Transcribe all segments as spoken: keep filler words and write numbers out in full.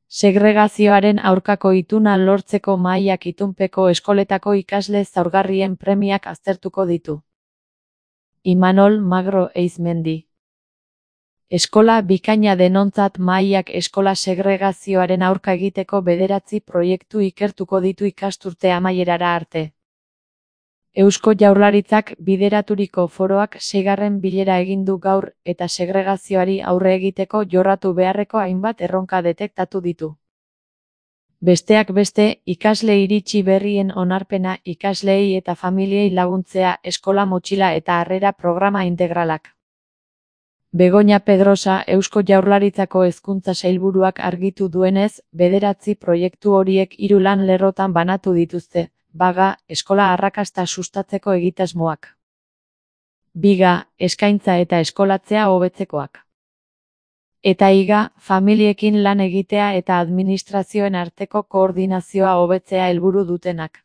Segregazioaren aurkako ituna lortzeko mahaiak itunpeko eskoletako ikasle zaurgarrien premiak aztertuko ditu. Imanol Magro Eizmendi. Eskola bikaina denontzat mahaiak eskola segregazioaren aurka egiteko bederatzi proiektu ikertuko ditu ikasturte amaierara arte. Eusko Jaurlaritzak bideraturiko foroak seigarren bilera egin du gaur eta segregazioari aurre egiteko jorratu beharreko hainbat erronka detektatu ditu. Besteak beste, ikasle iritsi berrien onarpena, ikasleei eta familiei laguntzea, eskola motxila eta harrera programa integralak. Begoña Pedrosa, Eusko Jaurlaritzako hezkuntza sailburuak argitu duenez, bederatzi proiektu horiek hiru lan lerrotan banatu dituzte. Baga, eskola arrakasta sustatzeko egitasmoak. Biga, eskaintza eta eskolatzea hobetzekoak. Eta higa, familiekin lan egitea eta administrazioen arteko koordinazioa hobetzea helburu dutenak.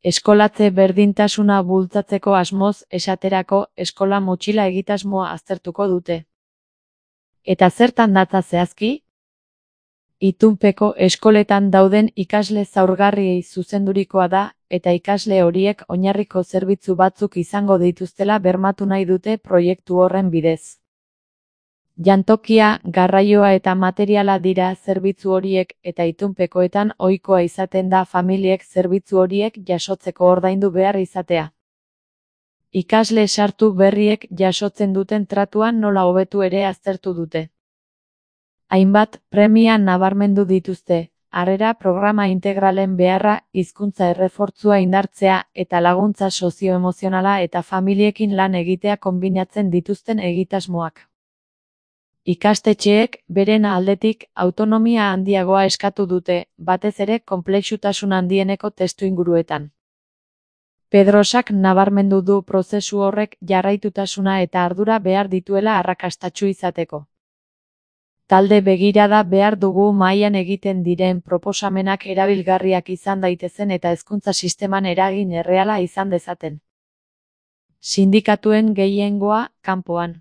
Eskolatze berdintasuna bultzatzeko asmoz, esaterako, eskola motxila egitasmoa aztertuko dute. Eta zertan datza zehazki? Itunpeko eskoletan dauden ikasle zaurgarriei zuzendurikoa da, eta ikasle horiek oinarriko zerbitzu batzuk izango dituztela bermatu nahi dute proiektu horren bidez. Jantokia, garraioa eta materiala dira zerbitzu horiek eta itunpekoetan ohikoa izaten da familiek zerbitzu horiek jasotzeko ordaindu behar izatea. Ikasle sartu berriek jasotzen duten tratuan nola hobetu ere aztertu dute. Hainbat premia nabarmendu dituzte, harrera programa integralen beharra, hizkuntza errefortzua indartzea eta laguntza sozioemozionala eta familiekin lan egitea konbinatzen dituzten egitasmoak. Ikastetxeek, beren aldetik, autonomia handiagoa eskatu dute, batez ere konplexutasun handieneko testuinguruetan. Pedrosak nabarmendu du prozesu horrek jarraitutasuna eta ardura behar dituela arrakastatsu izateko. Talde begirada behar dugu mahaian egiten diren proposamenak erabilgarriak izan daitezen eta hezkuntza sisteman eragin erreala izan dezaten. Sindikatuen gehiengoa, kanpoan.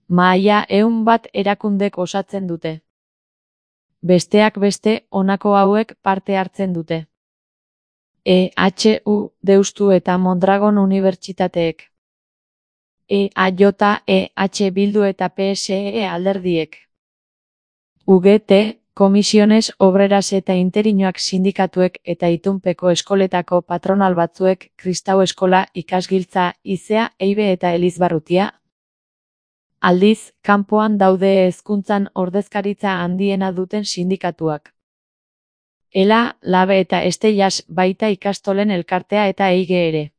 Mahaia ehun bat erakundek osatzen dute. Besteak beste, honako hauek parte hartzen dute. E H U, Deustu eta Mondragon unibertsitateek. E A J, E H Bildu eta P S E alderdiek. U G T, Komisiones Obreras eta Interinoak sindikatuek eta itunpeko eskoletako patronal batzuek, Kristau Eskola, Ikasgiltza, Izea, Eibe eta Elizbarrutia. Aldiz, kanpoan daude hezkuntzan ordezkaritza handiena duten sindikatuak. Ela, Labe eta Estellas baita ikastolen elkartea eta Eige ere.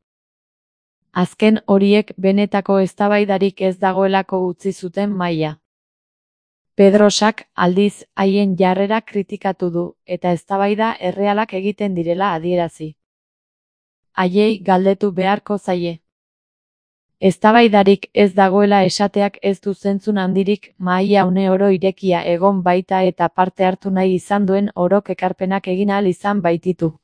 Azken horiek benetako eztabaidarik ez dagoelako utzi zuten mahaia. Pedrosak, aldiz, haien jarrera kritikatu du, eta eztabaida errealak egiten direla adierazi. Haiei galdetu beharko zaie. Eztabaidarik ez dagoela esateak ez du zentzun handirik, mahaia une oro irekia egon baita eta parte hartu nahi izan duen orok ekarpenak egin ahal izan baititu.